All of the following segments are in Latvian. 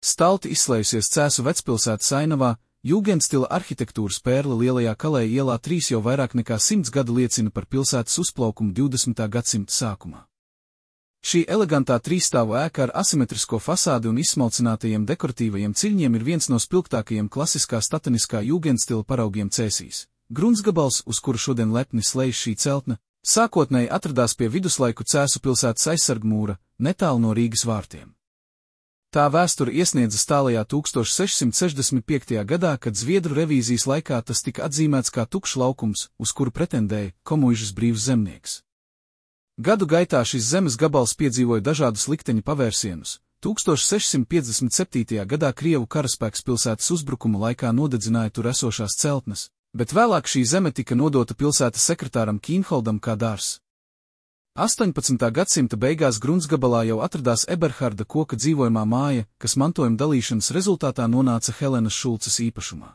Stalti izslējusies Cēsu vecpilsētas ainavā, jūgendstila arhitektūras pērle Lielajā Kalēja ielā 3 jau vairāk nekā 100 gadu liecina par pilsētas uzplaukumu 20. gadsimta sākumā. Šī elegantā trīsstāvu ēka ar asimetrisko fasādi un izsmalcinātajiem dekoratīvajiem ciļņiem ir viens no spilgtākajiem klasiskā stateniskā jūgendstila paraugiem Cēsīs. Gruntsgabals, uz kuru šodien lepni slēdz šī celtne, sākotnēji atradās pie viduslaiku Cēsu pilsētas aizsargmūra, netālu no Rīgas vārtiem. Tā vēsture iesniedzas tālajā 1665. gadā, kad Zviedru revīzijas laikā tas tika atzīmēts kā tukšs laukums, uz kuru pretendēja Komuižas brīvs zemnieks. Gadu gaitā šis zemes gabals piedzīvoja dažādus likteņa pavērsienus. 1657. gadā Krievu karaspēks pilsētas uzbrukuma laikā nodedzināja tur esošās celtnes, bet vēlāk šī zeme tika nodota pilsētas sekretāram Kīnholdam kā dārzs. 18. gadsimta beigās Gruntsgabalā jau atradās Eberharda Koka dzīvojamā māja, kas mantojuma dalīšanas rezultātā nonāca Helenas Šulces īpašumā.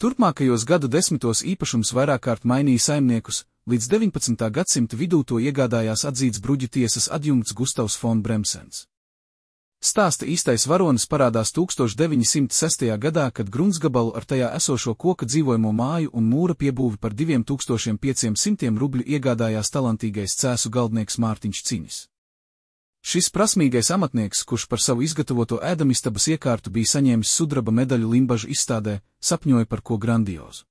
Turpmākajos gadu desmitos īpašums vairāk kārt mainīja saimniekus, līdz 19. gadsimta vidū to iegādājās atzīts bruģu tiesas adjunkts Gustavs fon Bremsens. Stāsta īstais varonis parādās 1906. gadā, kad Gruntsgabalu ar tajā esošo koka dzīvojamo māju un mūra piebūvi par 2500 rubļu iegādājās talantīgais Cēsu galdnieks Mārtiņš Cinis. Šis prasmīgais amatnieks, kurš par savu izgatavoto ēdamistabas iekārtu bija saņēmis sudraba medaļu Limbažu izstādē, sapņoja par ko grandiozu.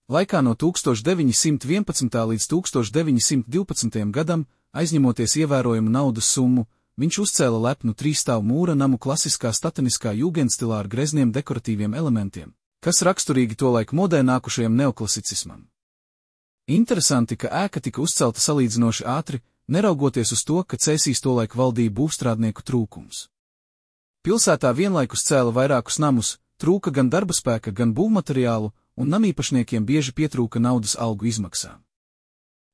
Laikā no 1911. līdz 1912. gadam, aizņemoties ievērojumu naudas summu, viņš uzcēla lepnu trīsstāvu mūra namu klasiskā stateniskā jūgendstilā ar grezniem dekoratīviem elementiem, kas raksturīgi tolaik modē nākušajam neoklasicismam. Interesanti, ka ēka tika uzcelta salīdzinoši ātri, neraugoties uz to, ka Cēsīs tolaik valdīja būvstrādnieku trūkums. Pilsētā vienlaikus cēla vairākus namus, trūka gan darba spēka, gan būvmateriālu, un namīpašniekiem bieži pietrūka naudas algu izmaksām.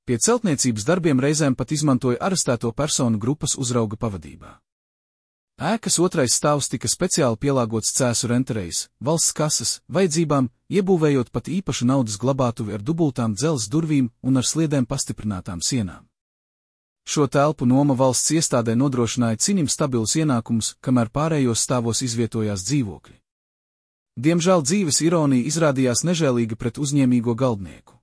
Pie celtniecības darbiem reizēm pat izmantoja arestēto personu grupas uzrauga pavadībā. Ēkas otrais stāvs tika speciāli pielāgots Cēsu renterejas, valsts kases, vajadzībām, iebūvējot pat īpašu naudas glabātuvi ar dubultām dzelzs durvīm un ar sliedēm pastiprinātām sienām. Šo telpu noma valsts iestādē nodrošināja Cinim stabilus ienākumus, kamēr pārējos stāvos izvietojās dzīvokļi. Diemžēl dzīves ironija izrādījās nežēlīga pret uzņēmīgo galdnieku.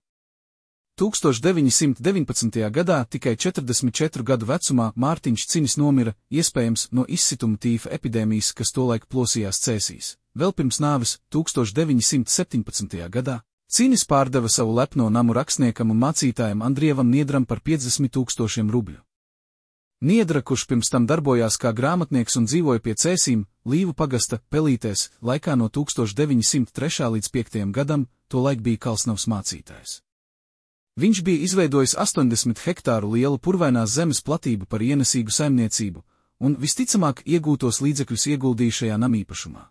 1919. gadā tikai 44 gadu vecumā Mārtiņš Cinis nomira, iespējams, no izsituma tīfa epidēmijas, kas tolaik plosījās Cēsīs. Vēl pirms nāves, 1917. gadā, Cinis pārdeva savu lepno namu rakstniekam un mācītājam Andrievam Niedram par 50 000 rubļu. Niedra, kurš pirms tam darbojās kā grāmatnieks un dzīvoja pie Cēsīm, Līvu pagasta, Pelītēs, laikā no 1903. līdz 5. gadam, tolaik bija Kalsnavas mācītājs. Viņš bija izveidojis 80 hektāru lielu purvainās zemes platību par ienesīgu saimniecību, un visticamāk iegūtos līdzekļus ieguldīja šajā namīpašumā.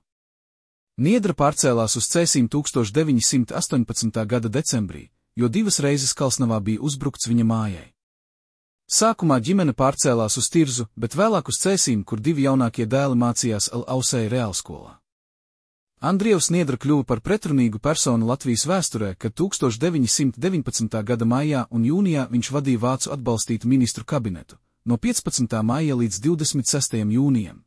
Niedra pārcēlās uz Cēsīm 1918. gada decembrī, jo 2 reizes Kalsnavā bija uzbrukts viņa mājai. Sākumā ģimene pārcēlās uz Tirzu, bet vēlāk uz Cēsīm, kur 2 jaunākie dēli mācījās Ausēja reālskolā. Andrievs Niedra kļuva par pretrunīgu personu Latvijas vēsturē, kad 1919. gada maijā un jūnijā viņš vadīja vācu atbalstītu ministru kabinetu, no 15. maija līdz 26. jūnijam.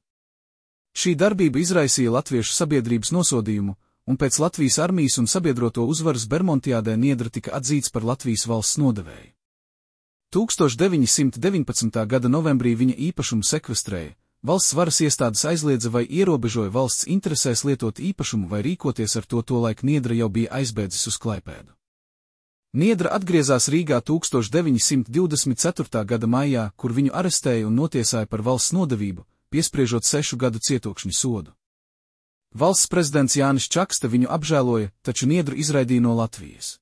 Šī darbība izraisīja latviešu sabiedrības nosodījumu, un pēc Latvijas armijas un sabiedroto uzvaras Bermontiādē Niedra tika atzīts par Latvijas valsts nodevēju. 1919. gada novembrī viņa īpašumu sekvestrēja. Valsts varas iestādes aizliedza vai ierobežoja valsts interesēs lietot īpašumu vai rīkoties ar to, tolaik Niedra jau bija aizbēdzis uz Klaipēdu. Niedra atgriezās Rīgā 1924. gada maijā, kur viņu arestēja un notiesāja par valsts nodevību, piespriežot 6 gadu cietokšņa sodu. Valsts prezidents Jānis Čakste viņu apžēloja, taču Niedru izraidīja no Latvijas.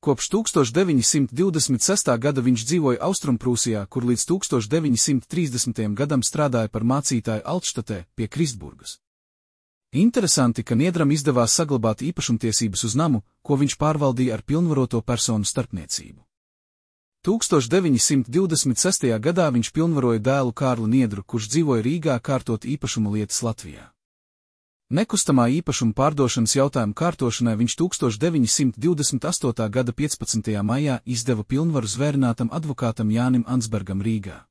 Kopš 1926. gada viņš dzīvoja Austrumprūsijā, kur līdz 1930. gadam strādāja par mācītāju Altštatē pie Kristburgas. Interesanti, ka Niedram izdevās saglabāt īpašumtiesības uz namu, ko viņš pārvaldīja ar pilnvaroto personu starpniecību. 1926. gadā viņš pilnvaroja dēlu Kārlu Niedru, kurš dzīvoja Rīgā, kārtot īpašumu lietas Latvijā. Nekustamā īpašuma pārdošanas jautājumu kārtošanai viņš 1928. gada 15. maijā izdeva pilnvaru zvērinātam advokātam Jānim Ansbergam Rīgā.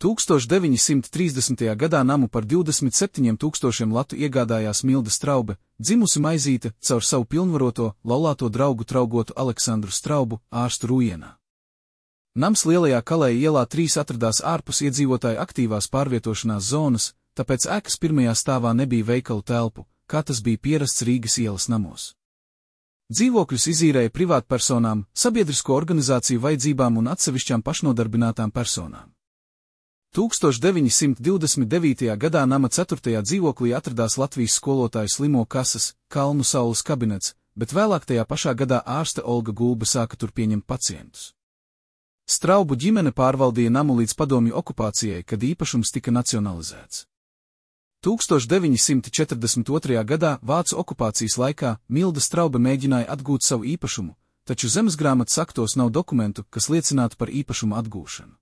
1930. gadā namu par 27 000 latu iegādājās Milda Straube, dzimusi Maizīte, caur savu pilnvaroto, laulāto draugu traugotu Aleksandru Straubu, ārstu Rujienā. Nams Lielajā Kalēja ielā 3 atradās ārpus iedzīvotāju aktīvās pārvietošanās zonas, tāpēc ēkas pirmajā stāvā nebija veikalu telpu, kā tas bija pierasts Rīgas ielas namos. Dzīvokļus izīrēja privātpersonām, sabiedrisko organizāciju vajadzībām un atsevišķām pašnodarbinātām personām. 1929. gadā nama 4. dzīvoklī atradās Latvijas skolotāju slimo kases, Kalnu Saules kabinets, bet vēlāk tajā pašā gadā ārste Olga Gulbe sāka tur pieņemt pacientus. Straubu ģimene pārvaldīja namu līdz padomju okupācijai, kad īpašums tika nacionalizēts. 1942. gadā Vācu okupācijas laikā Milda Straube mēģināja atgūt savu īpašumu, taču zemesgrāmatas aktos nav dokumentu, kas liecinātu par īpašumu atgūšanu.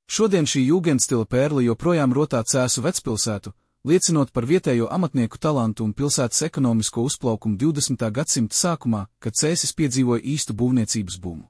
Šodien šī jūgendstila pērle joprojām rotā Cēsu vecpilsētu, liecinot par vietējo amatnieku talantu un pilsētas ekonomisko uzplaukumu 20. gadsimta sākumā, kad Cēsis piedzīvoja īstu būvniecības bumu.